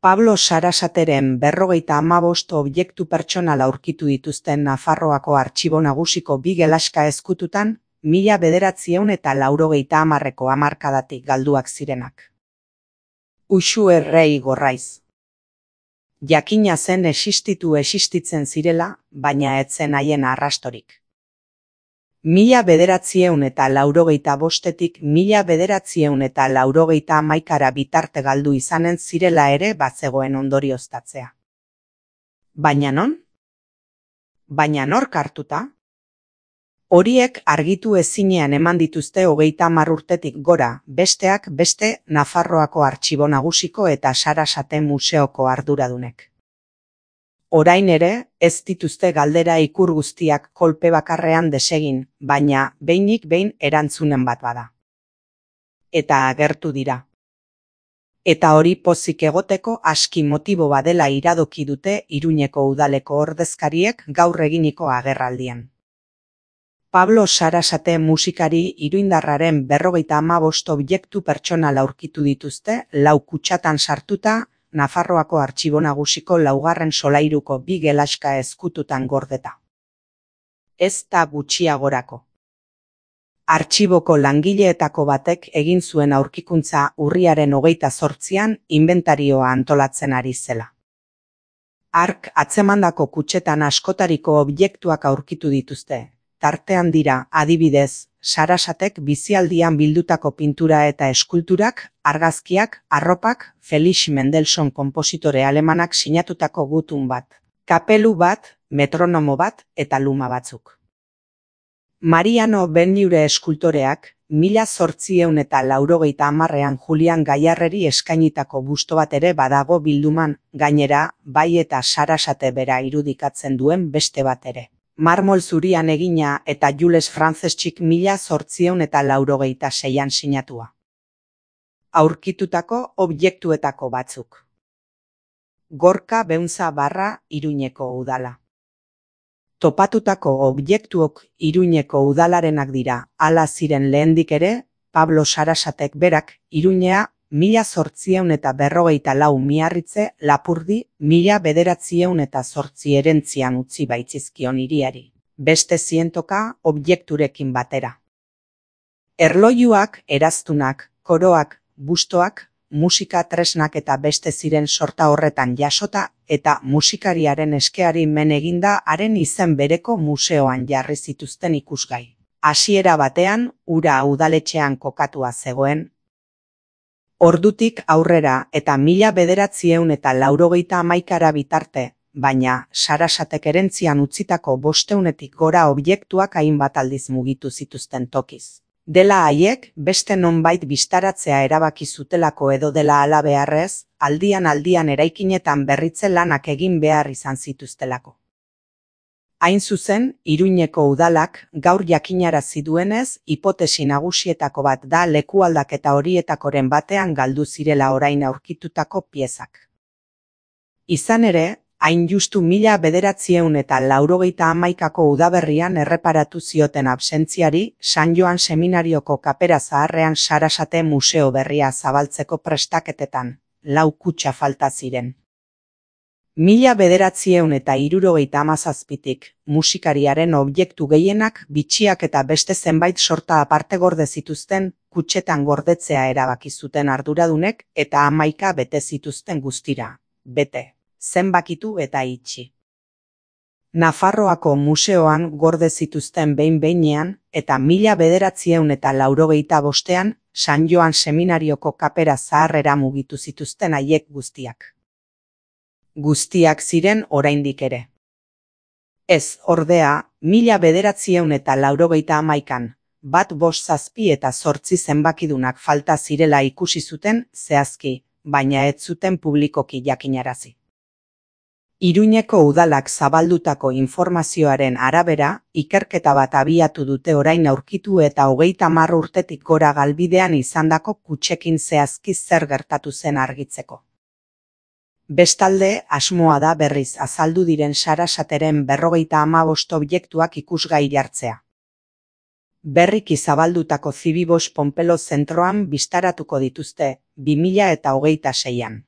Pablo Sarasateren 55 objektu pertsonal aurkitu dituzten Nafarroako Artxibo Nagusiko bi gelaska ezkututan, 1990ko hamarkadatik galduak zirenak. Uxu Errei Gorraiz. Jakina zen existitzen zirela, baina ez zen haien arrastorik. 1995-etik 1991 bitarte galdu izanen zirela ere bazegoen ondorioztatzea. Baina non? Baina nork hartuta? Horiek argitu ezinean eman dituzte 30 urtetik gora, besteak beste Nafarroako Artxibo Nagusiko eta Sarasate Museoko arduradunek. Orain ere, ez dituzte galdera ikur guztiak kolpe bakarrean desegin, baina behinik behin erantzunen bat bada. Eta agertu dira. Eta hori pozik egoteko aski motibo badela iradoki dute Iruñeko udaleko ordezkariek gaur eginiko agerraldian. Pablo Sarasate musikari iruindarraren 55 objektu pertsonal aurkitu dituzte 4 kutxatan sartuta, Nafarroako Artxibo Nagusiko 2. solairuko bi gelaska ezkututan gordeta. Ez da gutxiagorako. Artxiboko langileetako batek egin zuen aurkikuntza urriaren 28an inbentarioa antolatzen ari zela. Hark atzemandako kutxetan askotariko objektuak aurkitu dituzte. Tartean dira, adibidez, Sarasatek bizialdian bildutako pintura eta eskulturak, argazkiak, arropak, Felix Mendelssohn konpositore alemanak sinatutako gutun bat, kapelu bat, metronomo bat eta luma batzuk. Mariano Benlliure eskultoreak, 1890ean Julian Gaiarreri eskainitako busto bat ere badago bilduman, gainera, bai eta Sarasate bera irudikatzen duen beste bat ere. Marmol zurian egina eta Jules Franceschik 1896an sinatua. Aurkitutako objektuetako batzuk. Gorka Beunza barra Iruñeko udala. Topatutako objektuok Iruñeko udalarenak dira, hala ziren lehendik ere, Pablo Sarasatek berak Iruñea 1854 Miarritze Lapurdi 1908 erentzian utzi baitzizkion hiriari, beste 100 objekturekin batera. Erlojuak, eraztunak, koroak, bustoak, musika tresnak eta beste ziren sorta horretan jasota eta musikariaren eskeari men eginda haren izen bereko museoan jarri zituzten ikusgai. Hasiera batean, hura udaletxean kokatua zegoen. Ordutik aurrera eta 1991 bitarte, baina Sarasatek erentzian utzitako 500etik gora objektuak hainbat aldiz mugitu zituzten tokiz. Dela haiek, beste nonbait bistaratzea erabaki zutelako edo dela hala beharrez, aldian eraikinetan berritze lanak egin behar izan zituztelako. Hain zuzen, Iruñeko udalak gaur jakinarazi duenez, hipotesi nagusietako bat da lekualdaketa horietakoren batean galdu zirela orain aurkitutako piezak. Izan ere, hain justu 1991ko udaberrian erreparatu zioten absentziari, San Joan Seminarioko kapera zaharrean Sarasate museo berria zabaltzeko prestaketetan, 4 kutxa falta ziren. 1977tik musikariaren objektu gehienak bitxiak eta beste zenbait sorta aparte gorde zituzten, kutxetan gordetzea erabaki zuten arduradunek eta 11 bete zituzten guztira, bete, zenbakitu eta itxi. Nafarroako museoan gorde zituzten behin-behinean eta 1985ean San Joan Seminarioko kapera zaharrera mugitu zituzten haiek guztiak. Guztiak ziren oraindik ere. Ez, ordea, 1991an, bat 5, 7 eta 8 zenbakidunak falta zirela ikusi zuten zehazki, baina ez zuten publikoki jakinarazi. Iruñeko udalak zabaldutako informazioaren arabera, ikerketa bat abiatu dute orain aurkitu eta 30 urtetik gora galbidean izandako kutxekin zehazki zer gertatu zen argitzeko. Bestalde, asmoa da berriz azaldu diren Sarasateren 55 objektuak ikusgai jartzea. Berriki zabaldutako Zibibos Ponpelo zentroan bistaratuko dituzte, 2026an.